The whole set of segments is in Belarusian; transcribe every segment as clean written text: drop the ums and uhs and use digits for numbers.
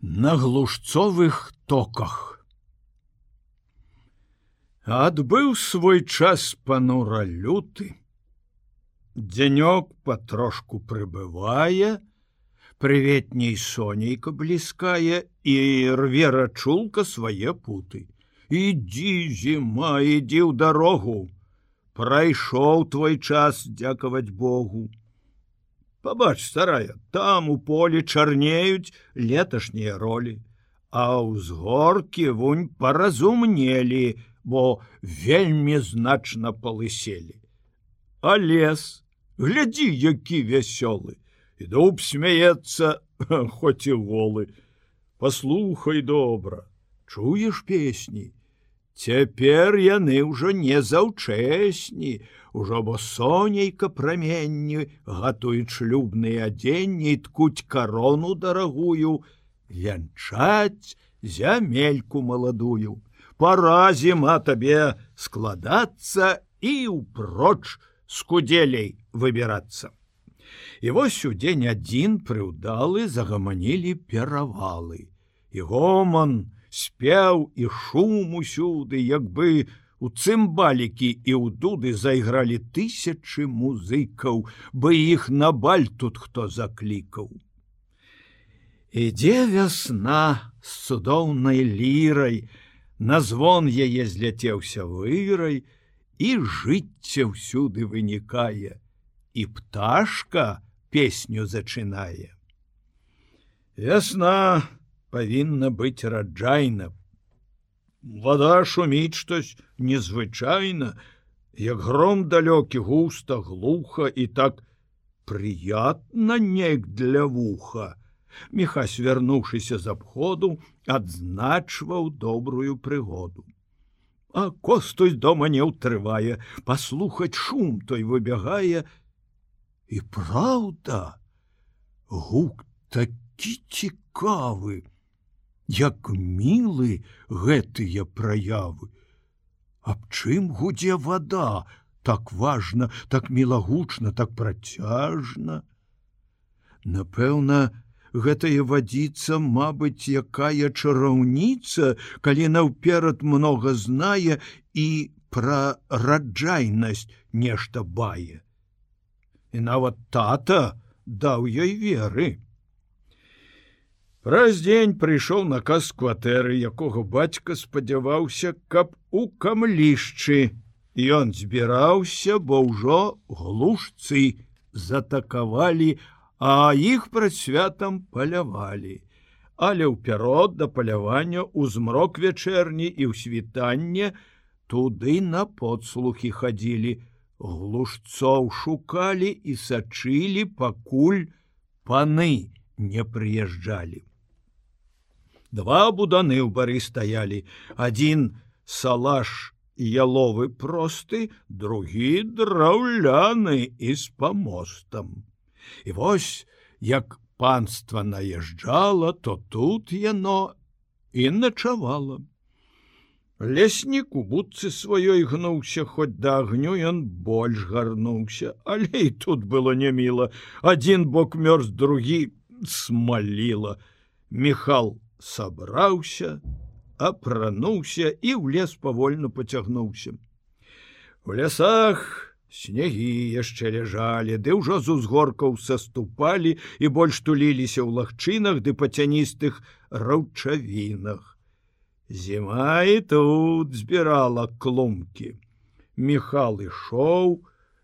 на глушцовых токах. Адбыў свой час панура люты. Дзянёк патрошку прыбывае, прыветней сонейка бліскае і рве рачулка свае путы. Ідзі, зіма, ідзі ў дарогу, прайшоў твой час, дзякаваць Богу. Пабач, старая, там у полі чарнеюць леташнія ролі, а ўзгоркі вунь паразумнелі, бо вельмі значна палыселі. А лес, глядзі, які вясёлы, і дуб смяецца, хоць і голы. Паслухай добра, чуеш песні? Цяпер яны ўжо не заўчэсні, ужо бо сонейка праменні гатуюць шлюбныя адзенні і ткуць карону дарагую, вянчаць зямельку маладую. Пара, зіма, табе складацца і ўпроч з кудзелей выбірацца. І вось у дзень адзін прыўдалы загаманілі перавалы. І гоман, спеў і шум усюды, як бы у цымбалікі і ў дуды зайгралі тысячы музыкаў, бы іх на баль тут хто заклікаў. Ідзе вясна з цудоўнай лірай, на звон яе зляцеўся вырай, і жыцця ўсюды вынікае, і пташка песню зачынае. Вясна павінна быць раджайна. Вада шуміць штось незвычайна, як гром далёкі, густа, глуха і так прыятна неяк для вуха. Міхась, вярнуўшыся з абходу, адзначваў добрую прыгоду. А Костусь дома не ўтрывае, паслухаць шум той выбягае. І праўда, гук такі цікавы, як мілы гэтыя праявы. Аб чым гудзе вада, так важна, так мілагучна, так працяжна? Напэўна, гэтая вадзіца, мабыць, якая чараўніца, калі наўперад многа знае і пра раджайнасць нешта бае. І нават тата даў ёй веры. Праз дзень прыйшоў наказ з кватэры, якога бацька спадзяваўся, каб у камлішчы. Ён збіраўся, бо ўжо глушцы затакавалі, а іх прад святам палявалі. Але ўперод да палявання ў змрок вячэрні і ў світанне туды на подслухі хадзілі, глушцоў шукалі і сачылі, пакуль паны не прыязджалі. Два буданы ў бары стаялі, адзін салаш яловы просты, другі драўляны і з памостам. І вось, як панства наязджала, то тут яно і начавала. Леснік у будцы сваёй гнуўся, хоць да агню ён больш гарнуўся, але і тут было няміла. Адзін бок мёрз, другі смаліла. Міхал сабраўся, апрануўся і ў лес павольна пацягнуўся. У лясах снегі яшчэ ляжалі, ды ўжо з узгоркаў саступалі і больш туліліся ў лагчынах ды па цяністых раўчавінах. Зіма і тут збірала клумкі. Міхал ішоў,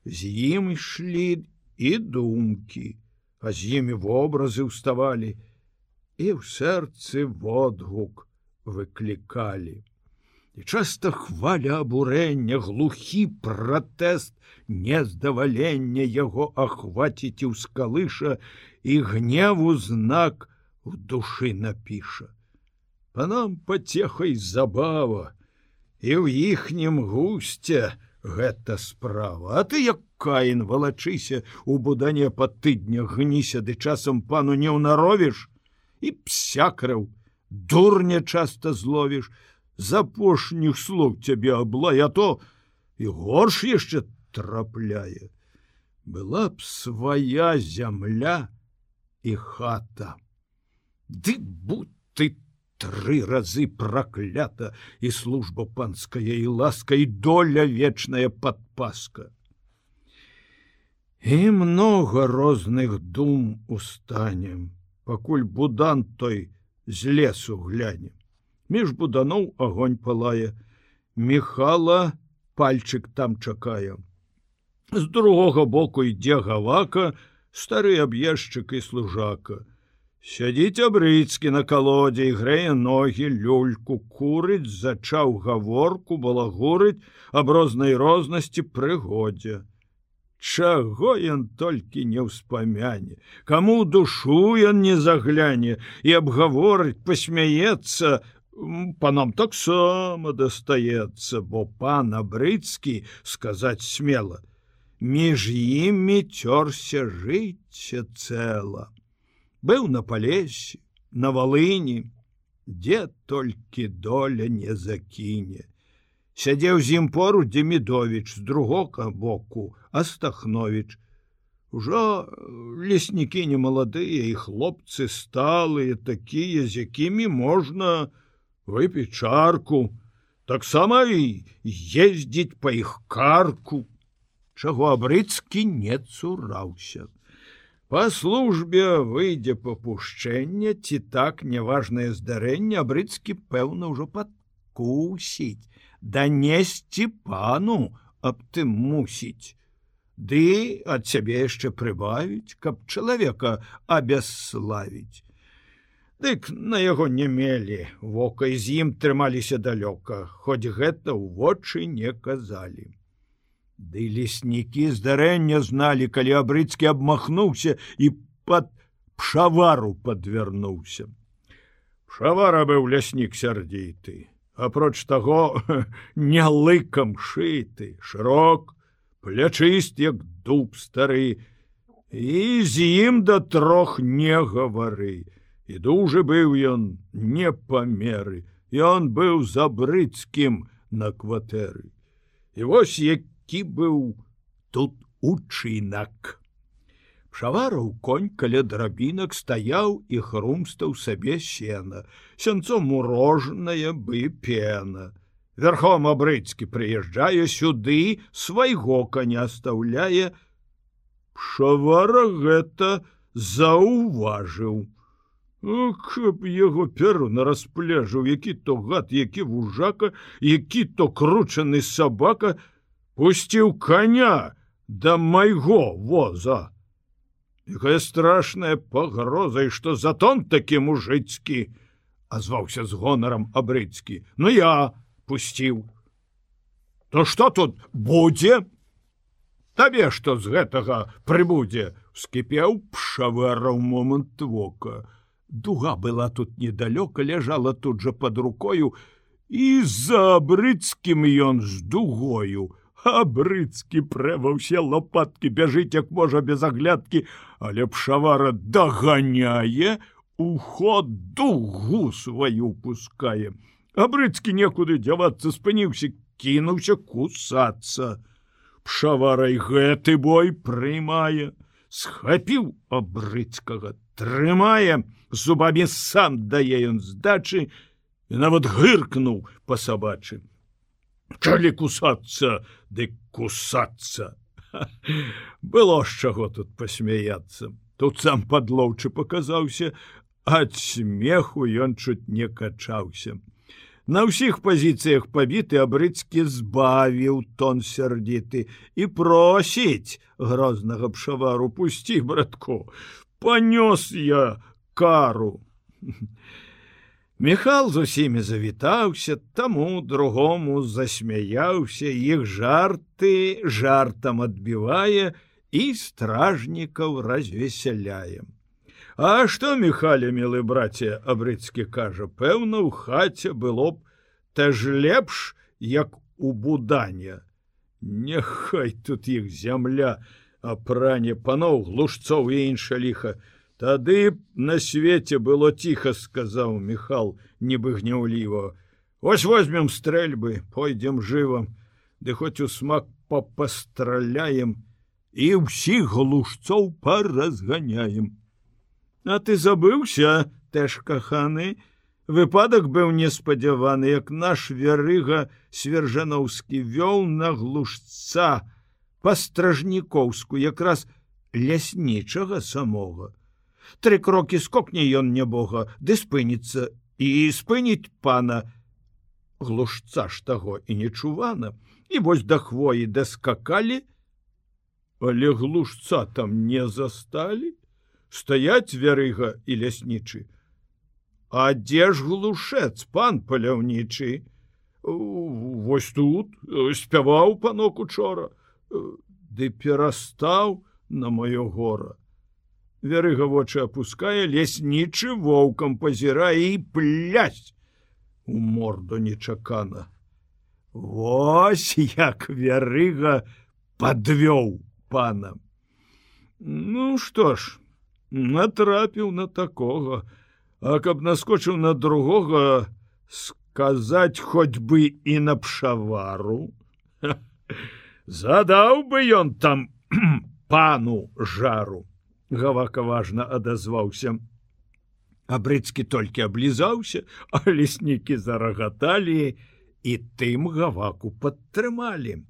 з ім ішлі і думкі, а з імі вобразы ўставалі, і ў сэрцы водгук выклікалі. І часта хваля абурэння, глухі пратэст, нездавалення яго ахваціць і ўскалыша, і гневу знак у душы напіша. Панам пацехай забава, і ў іхнім гусце гэта справа. А ты, як Каін, валачыся у будане па тыднях, гніся, ды часам пану не ўнаровіш, і псякраў, дурня часта зловіш, з апошніх слуг цябе аблай, а то і горш яшчэ трапляе. Была б свая зямля і хата. Ды будь ты 3 разы праклята, і служба панская, і ласка, і доля вечная падпаска. І много розных дум устанем, пакуль будан той з лесу гляне. Між буданоў агонь палае, Міхала пальчык там чакае. З другога боку ідзе гавака, стары аб'ездчык і служака. Сядзіць Абрыцкі на калодзе і грэе ногі, люльку курыць, зачаў гаворку, балагурыць аб рознай рознасці прыгодзе. Чаго ён толькі не ўспамяне, каму душу ён не загляне і абгаворыць, пасмяецца, панам таксама дастаецца, бо пан Абрыцкі, сказаць смела, між імі цёрся жыцця цэла. Быў на Палесе, на Валыні, дзе толькі доля не закіне. Сядзеў з ім поруч Демідовіч, з другога боку Астахновіч. Ужо леснікі немаладыя і хлопцы сталыя, такія, з якімі можна выпіць чарку, таксама і ездзіць па іх карку, чаго Абрыцкі не цураўся. Па службе выйдзе папушчэнне, ці так няважнае здарэнне Абрыцкі, пэўна, ўжо падкусіць, данесці пану аб тым мусіць, ды ад сябе яшчэ прыбавіць, каб чалавека абясславіць. Дык на яго не мелі вока, і з ім трымаліся далёка, хоць гэта ў вочы не казалі. Ды леснікі здарэння зналі, калі Абрыцкі абмахнуўся і пад Пшавару падвярнуўся. Пшавара быў ляснік сярдзіты, апроч таго не лыкам шыты, шырок, плячыст, як дуб стары, і з ім да 3 не гавары. І дужы быў ён не па меры, ён быў з Абрыцкім на кватэры. І вось які быў тут учынак. Пшавараў конь каля драбінак стаяў і хрумстаў сабе сена, сянцом мурожанае бы пена. Верхом Абрыцкі прыязджае сюды, свайго коня стаўляе. Пшавара гэта заўважыў. Каб яго перу на распляжыў, які то гад, які вужака, які то кручаны сабака, пусціў коня да майго воза. Якая страшная пагроза, і што за тон такі мужыцкі, азваўся з гонарам Абрыцкі. Ну я пусціў. То што тут будзе? Табе што з гэтага прыбудзе? Вскіпеў Пшавара ў момант вока. Дуга была тут недалёка, ляжала тут жа пад рукою, і за Абрыцкім ён з дугою. Абрыцкі прэ ва ўсе лопаткі, бяжыць як можа без аглядкі, але Пшавара даганяе, у ход дугу сваю пускае. Абрыцкі некуды дзявацца, спыніўся, кінуўся кусацца. Пшавара і гэты бой прымае, схапіў Абрыцкага, трымае, зубамі сам дае ён здачы і нават гыркнуў па-сабачы. Калі кусацца, дык кусацца. Было з чаго тут пасмяяцца. Тут сам падлоўчы паказаўся, ад смеху ён чуць не качаўся. На ўсіх пазіцыях пабіты Абрыцкі збавіў тон сярдзіты і просіць грознага Пшавару: пусці, братку, панёс я кару. Міхал з усімі завітаўся, таму другому засмяяўся, іх жарты жартам адбівае і стражнікаў развесяляе. А што, Міхаля, мілы браце, Абрыцкі кажа, пэўна, ў хаце было б та ж лепш, як у Будане. Няхай тут іх зямля апране паноў, глушцоў і інша ліха. Тады б на свеце было ціха, сказаў Міхал, нібы гняўліва. Вось возьмем стрэльбы, пойдзем жывам, ды хоць у смак папастраляем і ўсіх глушцоў паразганяем. А ты забыўся, тэж каханы, Выпадак быў неспадзяваны, як наш вярыга Свержановскі вёў на глушца па Стражнікоўску, якраз ляснічага самога. 3 крокі скокне ён нябога, ды спыніцца, і спыніць пана. Глушца ж таго і нечувана, і вось да хвоі даскакалі, але глушца там не засталі. Стаяць вярыга і ляснічы. А дзе ж глушэц, пан паляўнічы? Вось тут, спяваў панок учора, ды перастаў на маё гора. Вярыга вочы апускае, ляснічы воўкам пазірае і плясь у морду нечакана. Вось як вярыга падвёў пана. Ну што ж, натрапіў на такога, а каб наскочыў на другога, сказаць хоць бы і на пшавару. Задаў бы ён там пану жару. Гавака важна адазваўся. Абрыцкі толькі аблізаўся, а леснікі зарагаталі і тым гаваку падтрымалі.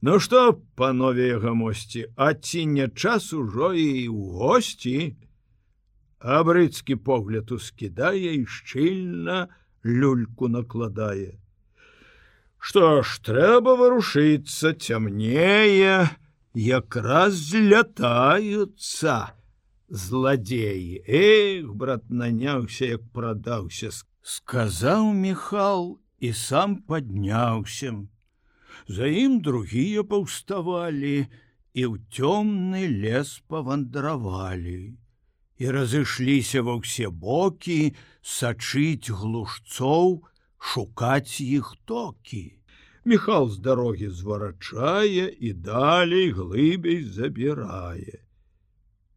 Ну што, панове гамосці, а ці не час ужо і ў госці? Абрыцкі погляд ускідае і шчыльна люльку накладае. Што ж, трэба варушыцца, цямнее, якраз злятаюцца зладзеі. Эх, брат, наняўся, як прадаўся, сказаў Міхал і сам падняўся. За ім другія паўставалі і ў цёмны лес павандравалі. І разышліся ва ўсе бокі сачыць глушцоў, шукаць іх токі. Міхал з дарогі зварачае і далей глыбей забірае.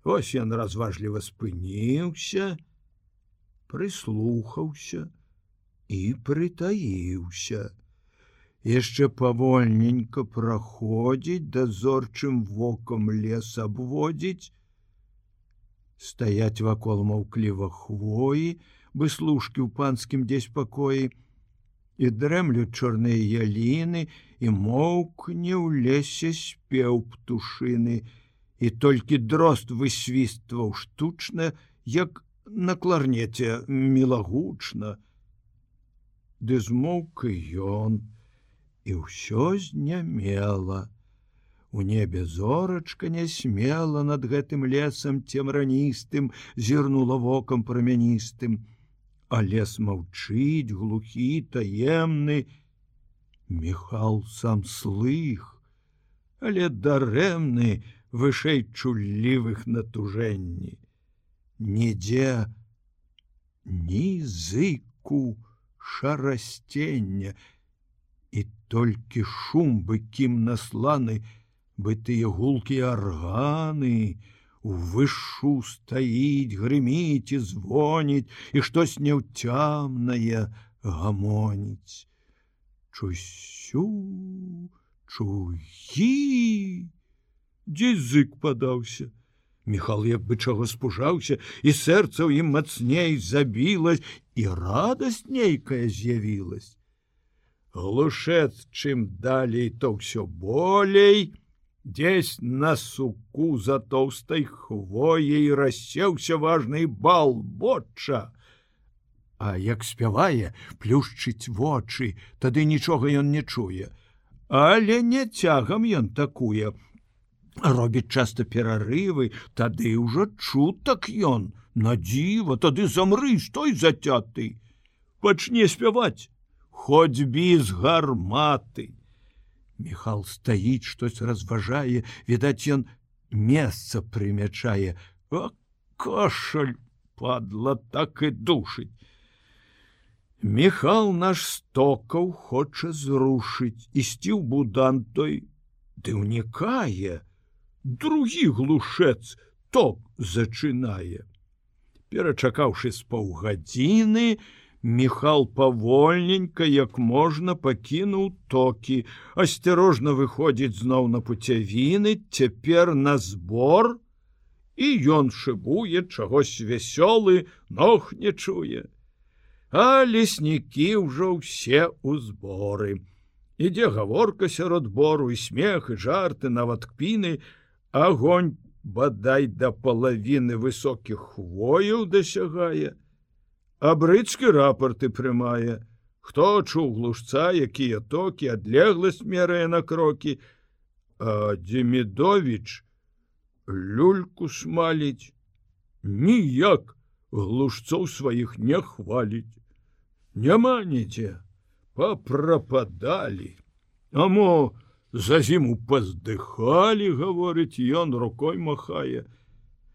Вось ён разважліва спыніўся, прыслухаўся і прытаіўся. Яшчэ павольненька праходзіць, дазорчым вокам лес абводзіць. Стаяць вакол маўкліва хвоі, выслушкі ў панскім дзесь пакоі, і дрэмлюць чорныя яліны, і моўкне ў лесе спеў птушыны, і толькі дрозд высвістваў штучна, як на кларнеце мілагучна. Ды змоўк і ён, і ўсё знямела. У небе зорачка нясмела над гэтым лесам цемраністым зірнула вокам прамяністым, а лес маўчыць, глухі, таемны. Міхал сам слых, але дарэмны, вышэй чуллівых натужэнні. Нідзе ні зыку шарасцення, і толькі шум быкім насланы, бы тыя гулкія арганы, увышу стаіць, грыміць і звоніць, і штось няўцямнае гамоніць. Чусю, чуі, дзе зык падаўся. Міхал як бы чаго спужаўся, і сэрца ў ім мацней забілась, і радасць нейкая з'явілась. Глушэц чым далей, то ўсё болей, дзесь на суку за тоўстай хвояй рассеўся важны бал боча. А як спявае, плюшчыць вочы, тады нічога ён не чуе. Але не цягам ён такуе. Робіць часта перарывы, тады ўжо чутак ён. На дзіва, тады замры, стой зацяты. Пачне спяваць, хоць без гарматы. Міхал стаіць, штось разважае, відаць, ён месца прымячае. А кашаль, падла, так і душыць. Міхал наш стокаў хоча зрушыць, ісці ў будан той, ды ўнікае. Другі глушэц ток зачынае. Перачакаўшы з паўгадзіны, Міхал павольненька, як можна, пакінуў токі, асцярожна выходзіць зноў на пуцявіны, цяпер на збор, і ён шыбуе, чагось вясёлы, ног не чуе. А леснікі ўжо ўсе ў зборы. Ідзе гаворка сярод бору, і смех, і жарты, нават кпіны, агонь бадай да палавіны высокіх хвояў дасягае, а брыцкі рапорты прымае. Хто чуў глушца, якія токі, адлегласць мерае на крокі, а Демідовіч люльку смаліць. Ніяк глушцоў сваіх не хваліць. Няма нідзе. Папрападалі. А мо за зіму паздыхалі, гаворыць, ён рукой махае.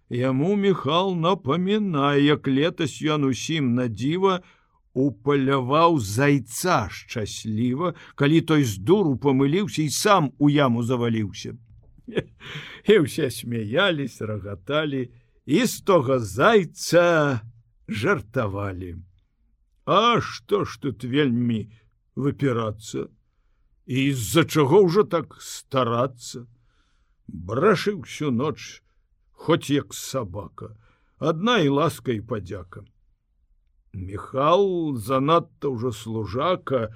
Яму Міхал напамінае, як летась ён усім на дзіва упаляваў зайца шчасліва, калі той з дуру памыліўся і сам у яму заваліўся. І ўсе смяялись, рагаталі, і з тога зайца жартавалі. А што ж тут вельмі выпірацца? І з-за чаго ўжо так старацца? Брашыў всю ноч, хоць як сабака, адна і ласка і падзяка. Міхал занадта ўжо служака,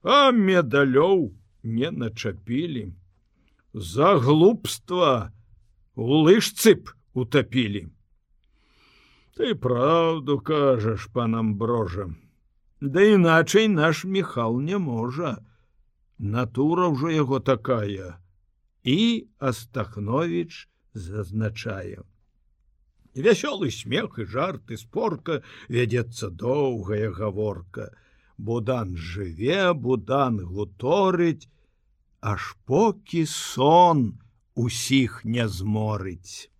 а медалёў не начапілі. За глупства у лыжцы б утапілі. Ты праўду кажаш, пан Амброжа. Да іначай наш Міхал не можа. Натура ўжо яго такая. І Астахновіч зазначае. Вясёлы смех і жарт, і спорка, вядзецца доўгая гаворка. Будан жыве, Будан гуторыць, аж покі сон усіх не зморыць.